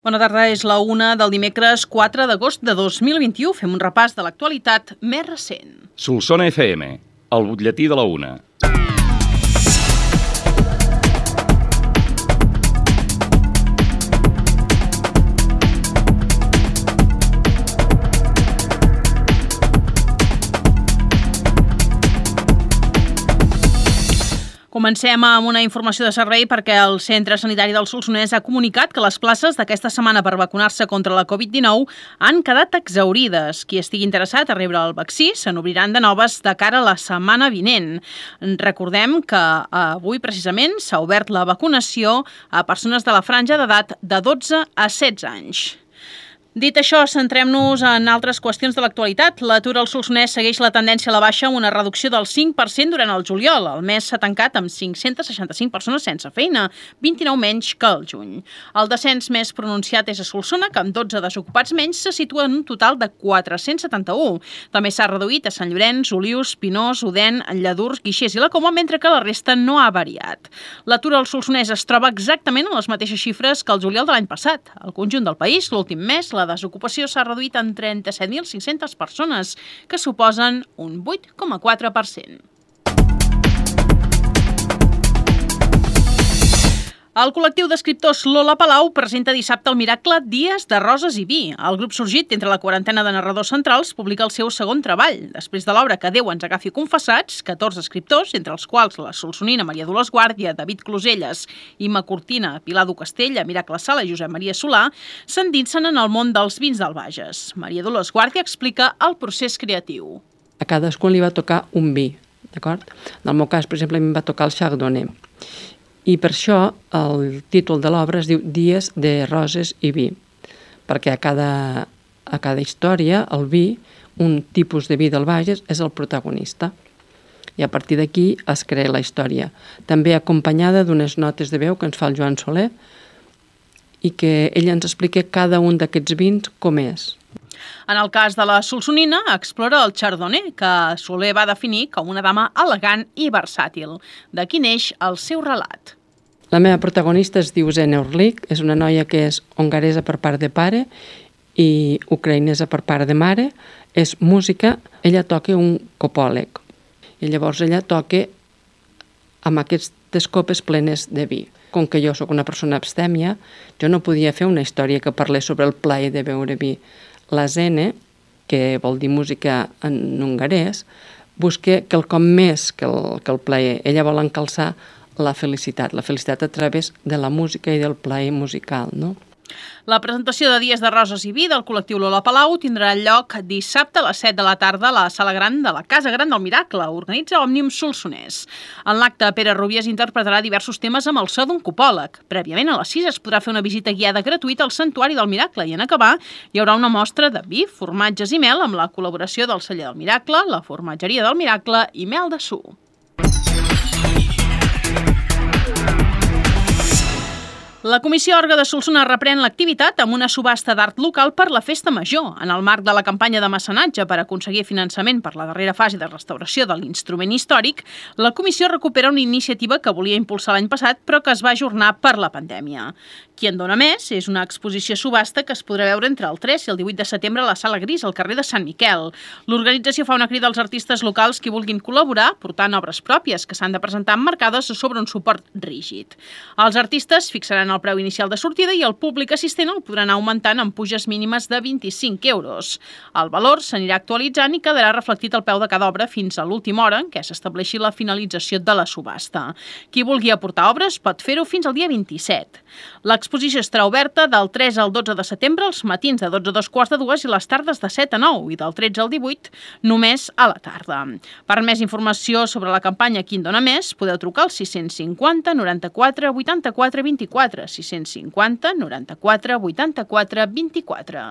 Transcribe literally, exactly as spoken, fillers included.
Bona tarda, és la una del dimecres quatre d'agost de dos mil vint-i-u. Fem un repàs de l'actualitat més recent. Solsona F M, el butlletí de la una. Comencem amb una informació de servei perquè el Centre Sanitari del Solsonès ha comunicat que les places d'aquesta setmana per vacunar-se contra la covid dinou han quedat exhaurides. Qui estigui interessat a rebre el vaccí se n'obriran de noves de cara a la setmana vinent. Recordem que avui precisament s'ha obert la vacunació a persones de la franja d'edat de dotze a setze anys. Dit això, centrem-nos en altres qüestions de l'actualitat. L'atur al Solsonès segueix la tendència a la baixa amb una reducció del cinc per cent durant el juliol. El mes s'ha tancat amb cinc-cents seixanta-cinc persones sense feina, vint-i-nou menys que el juny. El descens més pronunciat és a Solsona, que amb dotze desocupats menys se situa en un total de quatre-cents setanta-u. També s'ha reduït a Sant Llorenç, Olius, Pinós, Odèn, Lladurs, Guixers i la Coma, mentre que la resta no ha variat. L'atur al Solsonès es troba exactament en les mateixes xifres que el juliol de l'any passat. Al conjunt del país, l'últim mes, la desocupació s'ha reduït en trenta-set mil cinc-centes persones, que suposen un vuit coma quatre per cent. El col·lectiu d'escriptors Lola Palau presenta dissabte el miracle Dies de roses i vi. El grup sorgit entre la quarantena de narradors centrals publica el seu segon treball. Després de l'obra Que Déu ens agafi confessats, catorze escriptors, entre els quals la solsonina Maria Dolors Guàrdia, David Closelles, Imma Cortina, Pilar du Castella, Miracle Sala i Josep Maria Solà, s'endinsen en el món dels vins del Bages. Maria Dolors Guàrdia explica el procés creatiu. A cadascú li va tocar un vi, d'acord? En el meu cas, per exemple, a mi em va tocar el Chardonnay. I per això el títol de l'obra es diu Dies de roses i vi, perquè a cada, a cada història el vi, un tipus de vi del Bages, és el protagonista. I a partir d'aquí es crea la història, també acompanyada d'unes notes de veu que ens fa el Joan Soler i que ell ens explica cada un d'aquests vins com és. En el cas de la solsonina, explora el Chardonnay, que Soler va definir com una dama elegant i versàtil. D'aquí neix el seu relat. La meva protagonista es diu Zena Orlik, és una noia que és hongaresa per part de pare i ucraïnesa per part de mare, és música, ella toca un copòleg i llavors ella toca amb aquestes copes plenes de vi. Com que jo sóc una persona abstèmia, jo no podia fer una història que parlés sobre el plaer de beure vi. La Zene, que vol dir música en hongarès, busca quelcom més que el, que el plaer. Ella vol encalçar la felicitat, la felicitat a través de la música i del plaer musical, no? La presentació de Dies de roses i vi del col·lectiu Lola Palau tindrà lloc dissabte a les set de la tarda a la Sala Gran de la Casa Gran del Miracle. Organitza Òmnium Solsonès. En l'acte, Pere Rubies interpretarà diversos temes amb el so d'un copòleg. Prèviament, a les sis es podrà fer una visita guiada gratuïta al Santuari del Miracle i en acabar hi haurà una mostra de vi, formatges i mel amb la col·laboració del Celler del Miracle, la Formatgeria del Miracle i Mel de Su. La Comissió Orga de Solsona reprèn l'activitat amb una subhasta d'art local per la Festa Major. En el marc de la campanya de mecenatge per aconseguir finançament per la darrera fase de restauració de l'instrument històric, la Comissió recupera una iniciativa que volia impulsar l'any passat però que es va ajornar per la pandèmia. Qui en dona més és una exposició subhasta que es podrà veure entre el tres i el divuit de setembre a la Sala Gris, al carrer de Sant Miquel. L'organització fa una crida als artistes locals que vulguin col·laborar portant obres pròpies que s'han de presentar emmarcades sobre un suport rígid. Els artistes fixaran el preu inicial de sortida i el públic assistent el podrà anar augmentant amb puges mínimes de vint-i-cinc euros. El valor s'anirà actualitzant i quedarà reflectit al peu de cada obra fins a l'última hora en què s'estableixi la finalització de la subhasta. Qui vulgui aportar obres pot fer-ho fins al dia vint-i-set. L'exposició estarà oberta del tres al dotze de setembre, els matins de dotze a dos quarts de dues i les tardes de set a nou i del tretze al divuit només a la tarda. Per més informació sobre la campanya Qui en dona més, podeu trucar al sis cinquanta noranta-quatre vuitanta-quatre vint-i-quatre, sis cinquanta noranta-quatre vuitanta-quatre vint-i-quatre.